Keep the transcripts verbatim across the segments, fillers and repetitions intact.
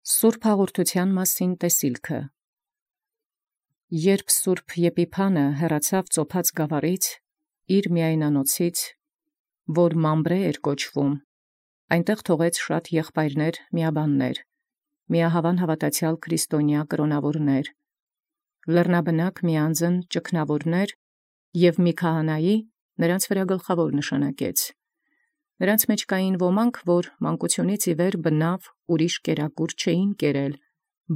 Սուրբ հաղորդութեան մասին տեսիլքը։ Երբ Սուրբ Եփիփանը հեռացավ ծոփած գաւառից, իր միայնանոցից, որ Մամբրե էր կոչվում, այնտեղ թողեց շատ եղբայրներ միաբաններ, միահավան հավատացյալ քրիստոնյա կրոնավորներ, լեռնաբնակ միանձն ճգնավորներ և մի քահանայի նրանց վրա գլխավոր նշանակեց։ Նրանց մեջ կային ոմանք, որ մանկությունից ի վեր բնավ ուրիշ կերակուր չէին կերել,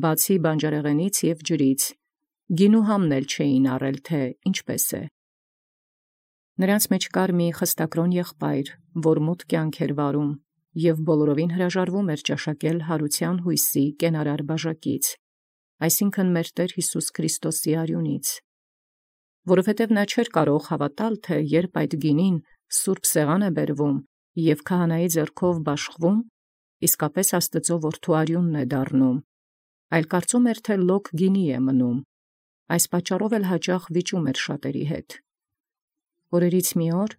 բացի բանջարեղենից և ջրից, գինու համն էլ չէին առել, թե ինչպես է։ Նրանց մեջ կար մի խստակրոն եղբայր, որ մութ կյանք էր վարում, և բոլորովին հրաժարվում էր ճաշակել հարության հույսի կենարար բաժակից, այսինքն մեր Տեր Յիսուս Քրիստոսի արյունից, որովհետև նա չէր կարող հավատալ, թե երբ այդ գինին սուրբ սեղան է բերվում և քահանայի ձեռքով բաշխվում, իսկապես Աստծո որդու արյունն է դառնում, այլ կարծում էր, թե լոկ գինի է մնում, այս պատճառով էլ հաճախ վիճում էր շատերի հետ։ Օրերից մի օր,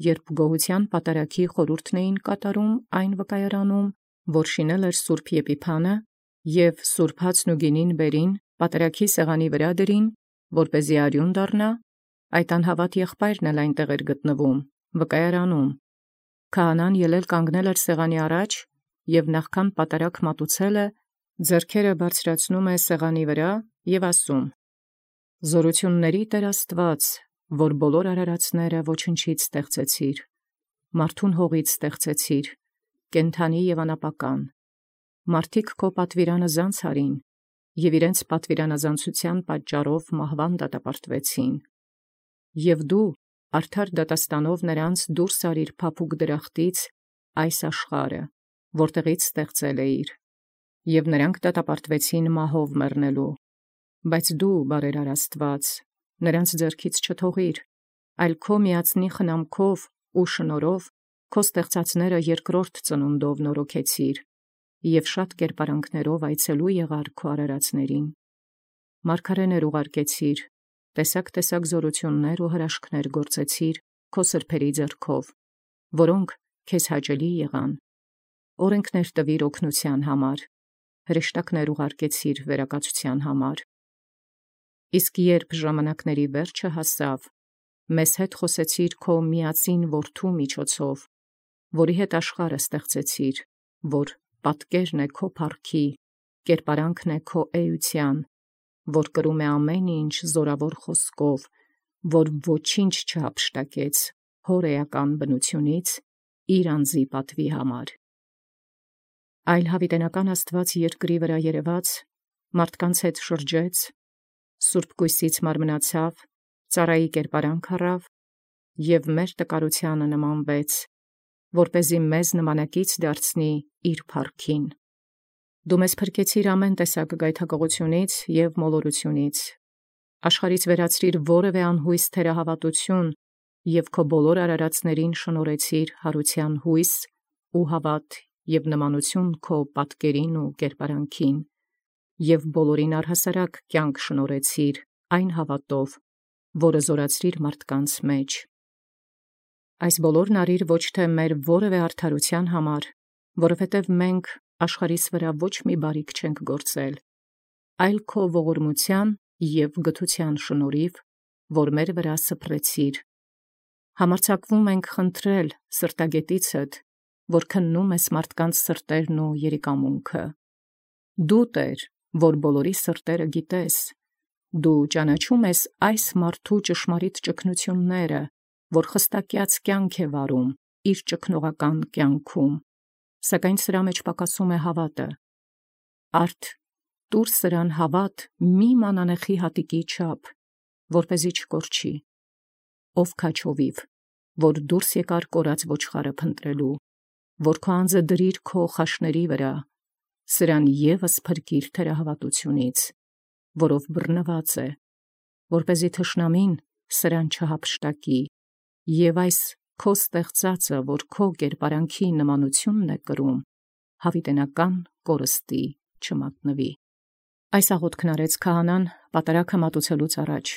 երբ գոհության պատարագի խորհուրդն էին կատարում այն վկայարանում, որ շինել էր Սուրբ Եփիփանը, և սուրբ հացն ու գինին բերին պատարագի սեղանի վրա դրին, որպեսզի արյուն դառնա, այդ անհավատ եղբայրն էլ այնտեղ էր գտնվում, վկայարանում։ Քահանան ելել կանգնել էր սեղանի առաջ, և նախքան պատարագ մատուցելը, ձեռքերը բարձրացնում է սեղանի վրա և ասում. «Զորությունների Տեր Աստված, որ բոլոր արարածները ոչնչից ստեղծեցիր, մարդուն հողից ստեղծեցիր, կենդանի և անապական, մարդիկ քո պատվիրանազանց արին, և իրենց պատվիրանազանցության պատճառով մահվան դատապարտվեցին, և դու արդար դատաստանով նրանց դուրս արիր փափուկ դրախտից այս աշխարհը, որտեղից ստեղծել էիր, և նրանք դատապարտվեցին մահով մեռնելու, բայց դու, բարերար Աստված, նրանց ձեռքից չթողիր, այլ քո միածնի խնամքով ու շնորհով քո ստեղծածները երկրորդ ծնունդով նորոգեցիր, և շատ կերպարանքներով այցելու եղար քո արարածներին։ Մարգարեներ ուղարկեցիր, տեսակ-տեսակ զորություններ ու հրաշքներ գործեցիր քո սրբերի ձեռքով, որոնք քեզ հաճելի եղան, օրենքներ տվիր օգնության համար, հրեշտակներ ուղարկեցիր վերակացության համար։ Իսկ երբ ժամանակների վերջը հասավ, մեզ հետ խոսեցիր քո միածին որդու միջոցով, որի հետ աշխարհը ստեղծեցիր, որ պատկերն է քո փառքի, կերպարանքն է քո էության, որ կրում է ամեն ինչ զորավոր խոսքով, որ ոչինչ չհափշտակեց հոր էական բնությունից իր անձի պատվի համար։ Այլ հավիտենական Աստված երկրի վրա երևաց, մարդկանց հետ շրջեց, սուրբ կույսից մարմնացավ, ծառայի կերպարանք առավ և մեր տկարությանը նմանվեց, որպեսզի մեզ նմանակից դարձնի իր փառքին։ Դու մեզ փրկեցիր ամեն տեսակ գայթակղությունից և մոլորությունից, աշխարհից վերացրիր որևէ անհույս թերահավատություն և քո բոլոր արարածներին շնորհեցիր հարության հույս ու հավատ և նմանություն քո պատկերին ու կերպարանքին, և բոլորին առհասարակ կյանք շնորհեցիր այն հավատով, որը զորացրիր մարդկանց մեջ։ Այս բոլորն արիր ոչ թե մեր որևէ արդարության համար, որովհետև մենք աշխարհիս վրա ոչ մի բարիք չենք գործել, այլ քո ողորմության և գթության շնորհիվ, որ մեր վրա սփռեցիր։ Համարձակվում ենք խնդրել սրտագետիցդ, որ քննում ես մարդկանց սրտերն ու երիկամունքը։ Դու, Տեր, որ բոլորի սրտերը գիտես, դու ճանաչում ես այս մարդու ճշմարիտ ճգնությունները, որ խստակյաց կյանք է վարում իր ճգնողական կյանքում, սակայն սրա մեջ պակասում է հավատը։ Արդ տուր սրան հավատ մի մանանեխի հատիկի չափ, որպեսզի չկորչի, ով քաջովիվ, որ դուրս եկար կորած ոչխարը փնտրելու, որ քո անձը դրիր քո խաշների վրա, սրան ևս փրկիր թերահավատությունից, որով բռնված է, որպեսզի թշնամին սրան չհափշտակի, և այս քո ստեղծածը, որ քո կերպարանքի նմանությունն է կրում, հավիտենական կորստի չմատնվի։ Այս աղոթքն արեց քահանան պատարագը մատուցելուց առաջ,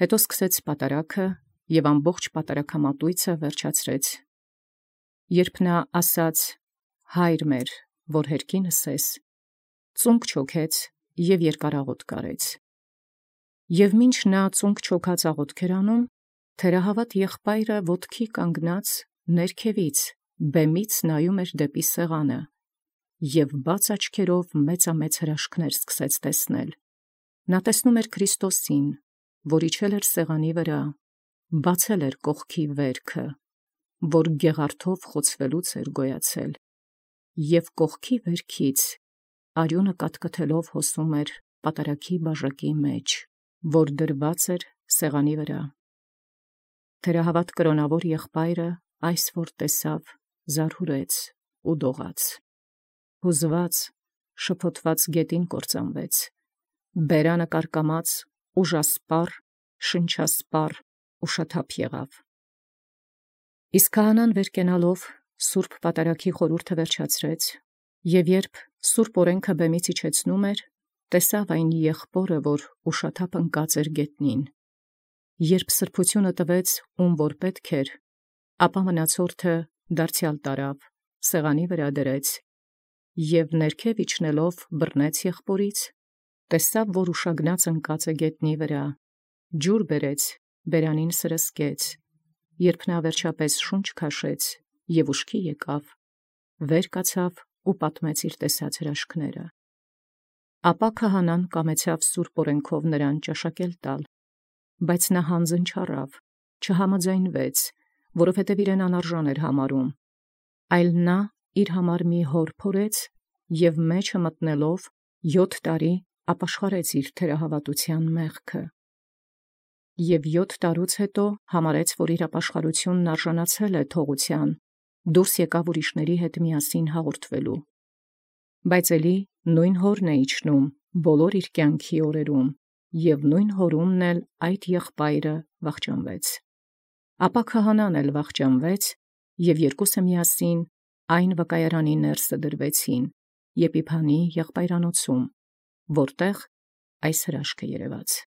հետո սկսեց պատարագը և ամբողջ պատարագամատույցը վերջացրեց։ Երբ նա ասաց. «Հայր մեր, որ հերկինս ես», ծունկ չոքեց և երկարաղոտ կարեց։ Եւ մինչ նա ծունկ չոքած աղոթք էր անում, թերահավատ եղբայրը ոտքի կանգնած ներքևից բեմից նայում էր դեպի սեղանը, և բաց աչքերով մեծամեծ հրաշքներ սկսեց տեսնել։ Նա տեսնում էր Քրիստոսին, որ իջել էր սեղանի վրա, բացել էր կողքի վերքը, որ գեղարդով խոցվելուց էր գոյացել, և կողքի վերքից արյունը կաթկթելով հոսում էր պատարագի բաժակի մեջ, որ դրված էր սեղանի վրա։ Թերահավատ կրոնավոր եղբայրը այս որ տեսավ, զարհուրեց ու դողաց, հուզված, շփոթված գետին կործանվեց, բերանը կարկամած, ուժասպառ, շնչասպառ ու շաթափ եղավ։ Իսկ քահանան վեր կենալով սուրբ պատարագի խորհուրդը վերջացրեց, և երբ սուրբ օրենքը բեմից իջեցնում էր, տեսավ այն եղբորը, որ ուշաթափ ընկած էր գետնին։ Երբ սրբությունը տվեց, ում որ պետք էր, ապա մնացորդը դարձյալ տարավ, սեղանի վրա դրեց, և ներքև իջնելով բռնեց եղբորից, տեսավ, որ ուշագնաց ընկած է գետնի վրա, ջուր բերեց, բերանին սրսկեց, երբ նա վերջապես շունչ քաշեց և ուշքի եկավ, վեր կացավ ու պատմեց իր տեսած հրաշքները։ Ապա քահանան կամեցավ սուրբ օրենքով նրան ճաշակել տալ, բայց նա հանձն չառավ, չհամաձայնվեց, որովհետև իրեն անարժան էր համարում, այլ նա իր համար մի հոր փորեց և մեջը մտնելով յոթ տարի ապաշխարեց իր թերահավատության մեղքը։ Եվ յոթ տարուց հետո համարեց, որ իր ապաշխարությունն արժանացել է թողության, դուրս եկավ ուրիշների հետ միասին հաղորդվելու։ Բայց էլի նույն հորն է իջնում բոլոր իր կյանքի օրերում, և նույն հորումն էլ այդ եղբայրը վախճանվեց։ Ապա քահանան էլ վախճանվեց, և երկուսը միասին այն վկայարանի ներսը դրվեցին Եփիփանի եղբայրանոցում, որտեղ այս հրաշքը երևաց։